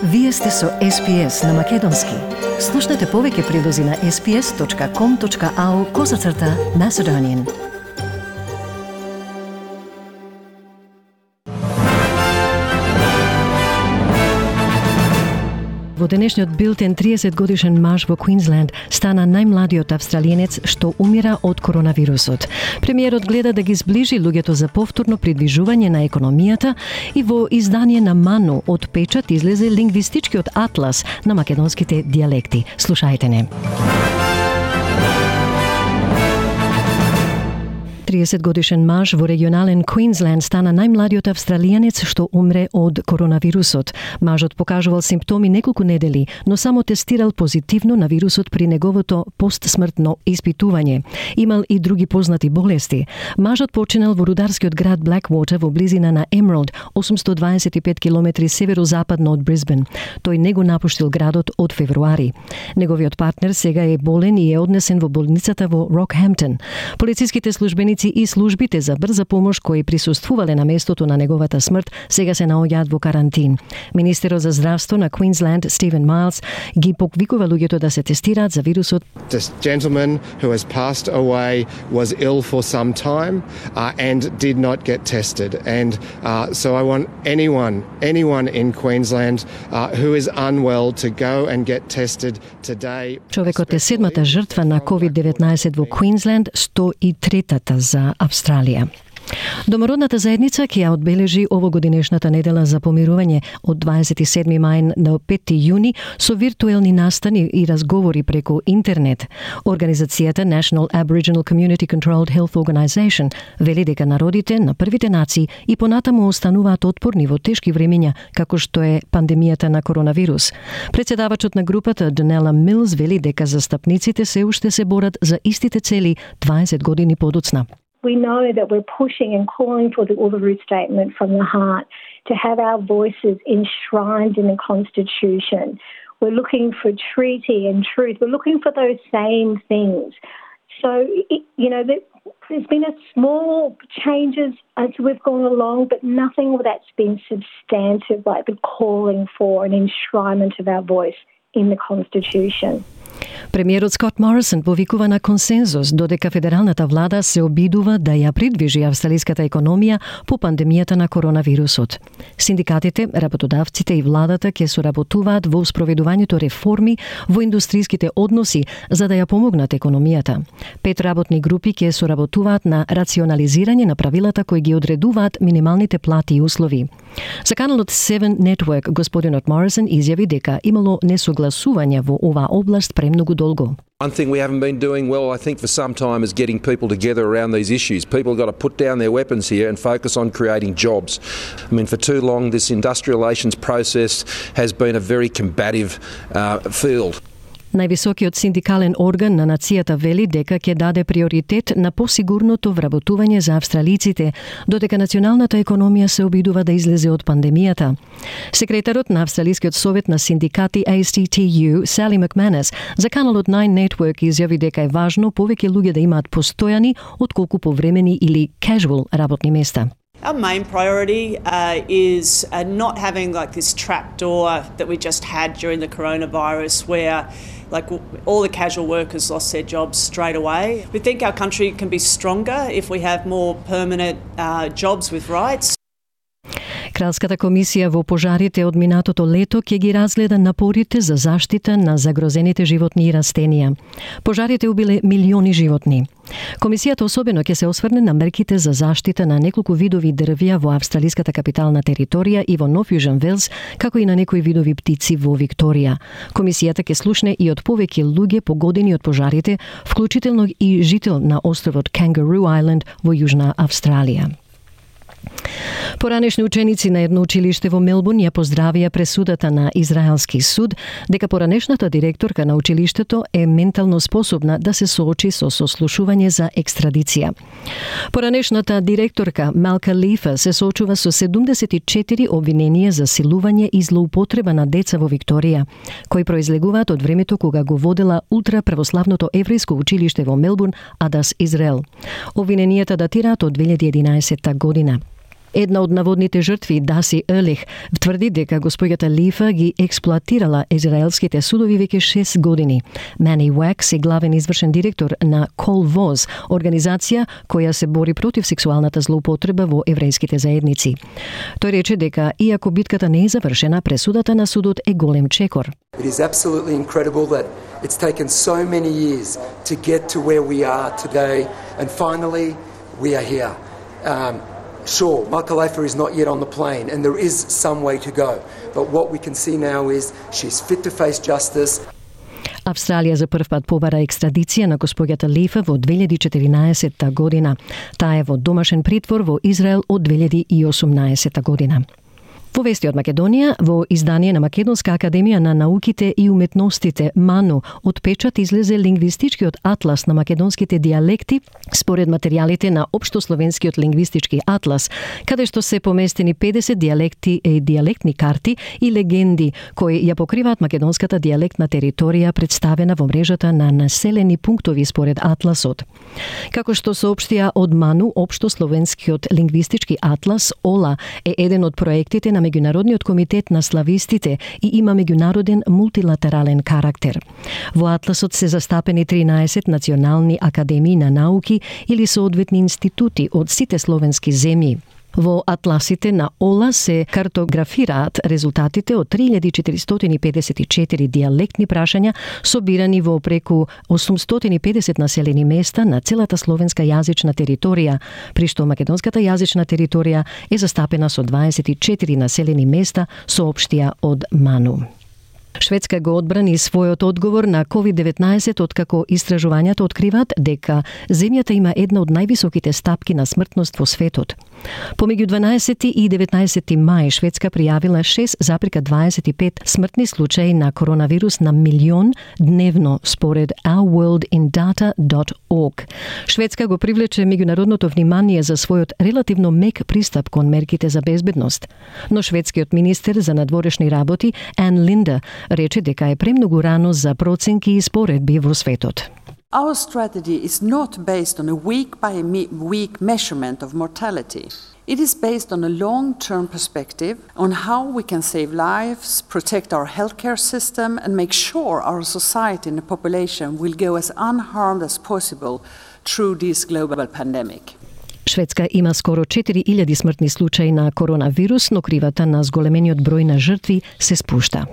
Вие сте со SPS на Македонски. Слушнете повеќе прилози на sps.com.au/Macedonian. Во денешниот билтен 30-годишен маж во Квинсленд стана најмладиот австралиенец што умира од коронавирусот. Премиерот гледа да ги зближи луѓето за повторно придвижување на економијата и во издание на Ману од печат излезе лингвистичкиот атлас на македонските дијалекти. Слушајте не. 30-годишен маж во регионален Квинсленд стана најмладиот австралијанец што умре од коронавирусот. Мажот покажувал симптоми неколку недели, но само тестирал позитивно на вирусот при неговото постсмртно испитување. Имал и други познати болести. Мажот починал во рударскиот град Blackwater во близина на Emerald, 825 километри северозападно од Брисбен. Тој не го напуштил градот од февруари. Неговиот партнер сега е болен и е однесен во болницата во Рокхемптон. Полициските службеници и службите за брза помош кои присуствувале на местото на неговата смрт сега се наоѓаат во карантин. Министерот за здравство на Квинсленд, Стивен Майлс, ги поквикува луѓето да се тестираат за вирусот. This gentleman who has passed away was ill for some time and did not get tested. And so I want anyone in Queensland who is unwell to go and get tested today. Човекот е седмата жртва на COVID-19 во Квинсленд, 103-та за Австралија. Домородната заедница ќе ја одбележи овогодинешната недела за помирување од 27 мај до 5 јуни со виртуелни настани и разговори преку интернет. Организацијата National Aboriginal Community Controlled Health Organisation вели дека народите на првите нации и понатаму остануваат отпорни во тешки времења како што е пандемијата на коронавирус. Председавачот на групата Donella Mills вели дека застапниците се уште се борат за истите цели 20 години подоцна. We know that we're pushing and calling for the Uluru Statement from the heart to have our voices enshrined in the Constitution. We're looking for treaty and truth. We're looking for those same things. So, there's been a small changes as we've gone along, but nothing that's been substantive like the calling for an enshrinement of our voice in the Constitution. Премиерот Скот Морисон повикува на консензус додека федералната влада се обидува да ја придвижи австралиската економија по пандемијата на коронавирусот. Синдикатите, работодавците и владата ќе соработуваат во спроведувањето реформи во индустриските односи за да ја помогнат економијата. 5 работни групи ќе соработуваат на рационализирање на правилата кои ги одредуваат минималните плати и услови. За каналот 7 Network господинот Морисон изјави дека имало несогласување во оваа област премногу долго. One thing we haven't been doing well, I think, for some time is getting people together around these issues. People have got to put down their weapons here and focus on creating jobs. I mean, for too long, this industrial relations process has been a very combative field. Највисокиот синдикален орган на нацијата вели дека ќе даде приоритет на посигурното вработување за австралиците, додека националната економија се обидува да излезе од пандемијата. Секретарот на Австралискиот совет на синдикати ACTU, Sally McManus, за каналот 9 Network изјави дека е важно повеќе луѓе да имаат постојани отколку повремени или casual работни места. Our main priority is not having like this trapdoor that we just had during the coronavirus where all the casual workers lost their jobs straight away. We think our country can be stronger if we have more permanent jobs with rights. Кралската комисија во пожарите од минатото лето ќе ги разгледа напорите за заштита на загрозените животни и растенија. Пожарите убиле милиони животни. Комисијата особено ќе се осврне на мерките за заштита на неколку видови дрвја во австралиската капитална територија и во Нов Јужен Велс, како и на некои видови птици во Викторија. Комисијата ќе слушне и од повеќе луѓе погодени од пожарите, вклучително и жител на островот Kangaroo Island во Јужна Австралија. Поранешни ученици на едно училиште во Мелбурн ја поздравија пресудата на израелски суд дека поранешната директорка на училиштето е ментално способна да се соочи со сослушување за екстрадиција. Поранешната директорка Малка Лифа се соочува со 74 обвиненија за силување и злоупотреба на деца во Викторија, кои произлегуваат од времето кога го водела ултраправославното еврејско училиште во Мелбурн, Адас Израел. Обвиненијата датираат од 2011 година. Една од наводните жртви, Даси Елих, тврди дека госпоѓата Лифа ги експлоатирала израелските судови веќе 6 години. Мани Уакс е главен извршен директор на Кол Воз, организација која се бори против сексуалната злоупотреба во еврејските заедници. Тој рече дека иако битката не е завршена, пресудата на судот е голем чекор. It is absolutely incredible that it's taken so many years to get to where we are today, and finally we are here. Sure, Michael Leifer is not yet on the plane, and there is some way to go. But what we can see now is she's fit to face justice. Австралија за прв пат побара екстрадиција на госпоѓата Лифа во 2014 година. Таа е во домашен притвор во Израел од 2018 година. Во вести од Македонија, во издание на Македонска академија на науките и уметностите МАНУ, од печат излезе лингвистичкиот атлас на македонските дијалекти според материјалите на Општословенскиот лингвистички атлас, каде што се поместени 50 дијалекти и дијалектни карти и легенди кои ја покриваат македонската дијалектна територија представена во мрежата на населени пунктови според атласот. Како што соопштија од МАНУ, Општословенскиот лингвистички атлас ОЛА е еден од проектите на Меѓународниот комитет на славистите и има меѓународен мултилатерален карактер. Во атласот се застапени 13 национални академии на науки или соодветни институти од сите словенски земји. Во атласите на ОЛА се картографираат резултатите од 3454 дијалектни прашања собирани во преку 850 населени места на целата словенска јазична територија, при што македонската јазична територија е застапена со 24 населени места, соопштија од МАНУ. Шведска го одбрани својот одговор на COVID-19 откако истражувањата откриваат дека земјата има една од највисоките стапки на смртност во светот. Помеѓу 12 и 19 мај Шведска пријавила 6,25 смртни случаи на коронавирус на милион дневно според ourworldindata.org. Шведска го привлече меѓународното внимание за својот релативно мек пристап кон мерките за безбедност. Но шведскиот министер за надворешни работи Ан Линда рече дека е премногу рано за проценки и споредби во светот. Our strategy is not based on a week-by-week measurement of mortality. It is based on a long-term perspective on how we can save lives, protect our healthcare system, and make sure our society and the population will go as unharmed as possible through this global pandemic. Шведска има скоро 4000 смртни случаи на коронавирус, но кривата на зголемениот број на жртви се спушта.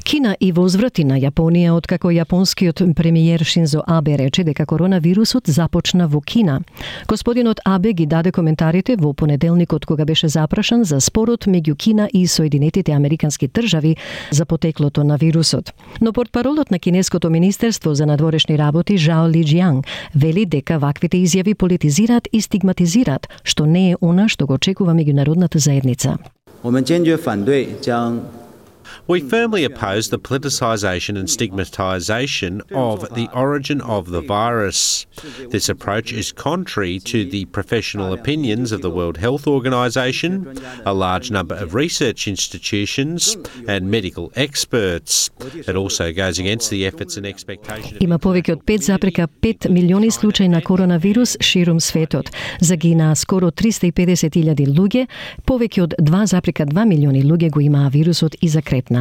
Кина и возврати на Јапонија откако јапонскиот премиер Шинзо Абе рече дека коронавирусот започна во Кина. Господинот Абе ги даде коментарите во понеделникот кога беше запрашан за спорот меѓу Кина и Соединетите Американски држави за потеклото на вирусот. Но портпаролот на кинеското министерство за надворешни работи Жао Лиџијанг вели дека ваквите изјави политизираат и стигматизираат, што не е она што го очекува меѓународната заедница. We firmly oppose the politicisation and stigmatisation of the origin of the virus. This approach is contrary to the professional opinions of the World Health Organization, a large number of research institutions and medical experts. It also goes against the efforts and expectations. Има повеќе од 5,5 милиони случаи на коронавирус ширум светот. Загинаа скоро 350,000 луѓе, повеќе од 2,2 милиони луѓе го имаа вирусот и закрепнаа.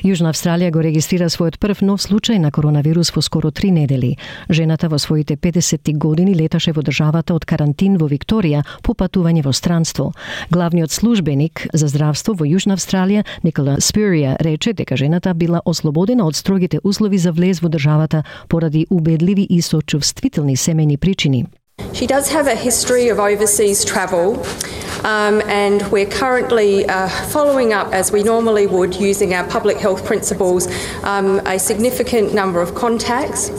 Јужна Австралија го регистрира својот прв нов случај на коронавирус во скоро 3 недели. Жената во своите 50 години леташе во државата од карантин во Викторија по патување во странство. Главниот службеник за здравство во Јужна Австралија, Никола Спирија, рече дека жената била ослободена од строгите услови за влез во државата поради убедливи и сочувствителни семејни причини. She does have a history of overseas travel. And we're currently following up, as we normally would, using our public health principles, a significant number of contacts.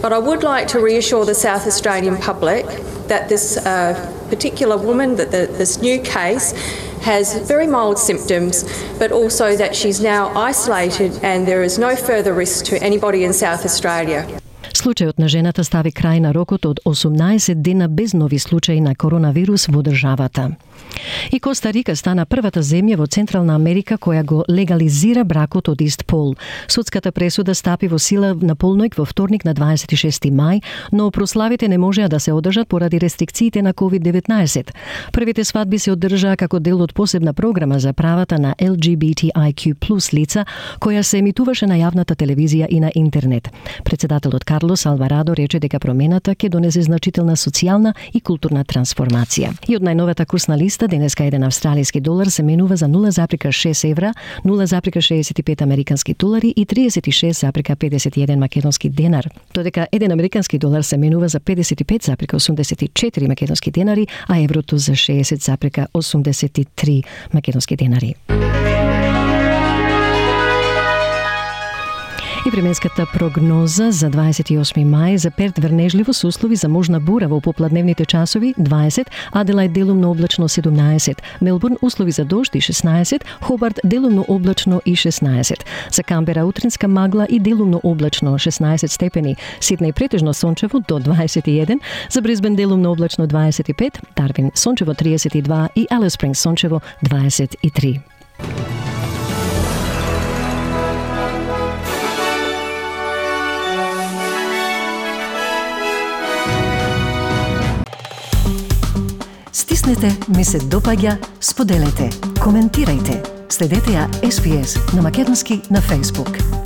But I would like to reassure the South Australian public that this particular woman, that this new case, has very mild symptoms, but also that she's now isolated and there is no further risk to anybody in South Australia. Случајот на жената стави крај на рокот од 18 дена без нови случаи на коронавирус во државата. И Коста Рика стана првата земја во Централна Америка која го легализира бракот од ист пол. Судската пресуда стапи во сила на полноќ во вторник на 26 мај, но прославите не можеа да се одржат поради рестрикциите на COVID-19. Првите свадби се одржаа како дел од посебна програма за правата на LGBTIQ+ лица, која се емитуваше на јавната телевизија и на интернет. Председателот Карлос Алварадо рече дека промената ќе донесе значителна социјална и културна трансформација. И од најновата курсна листа денеска еден австралиски долар се менува за 0,6 евра, 0,65 американски долари и 36,51 македонски денар. Додека еден американски долар се менува за 55,84 македонски денари, а еврото за 60,83 македонски денари. И временската прогноза за 28 мај за Перт врнежливо со услови за можна бура во попладневните часови 20, Аделајд делумно облачно 17, Мелбурн услови за дожд и 16, Хобарт делумно облачно и 16. За Камбера утринска магла и делумно облачно 16 степени, Сиднеј претежно сончево до 21, за Брисбен делумно облачно 25, Дарвин сончево 32 и Алис Спрингс сончево 23. Стиснете, ми се допаѓа, споделете, коментирајте. Следете ја SPS на македонски на Facebook.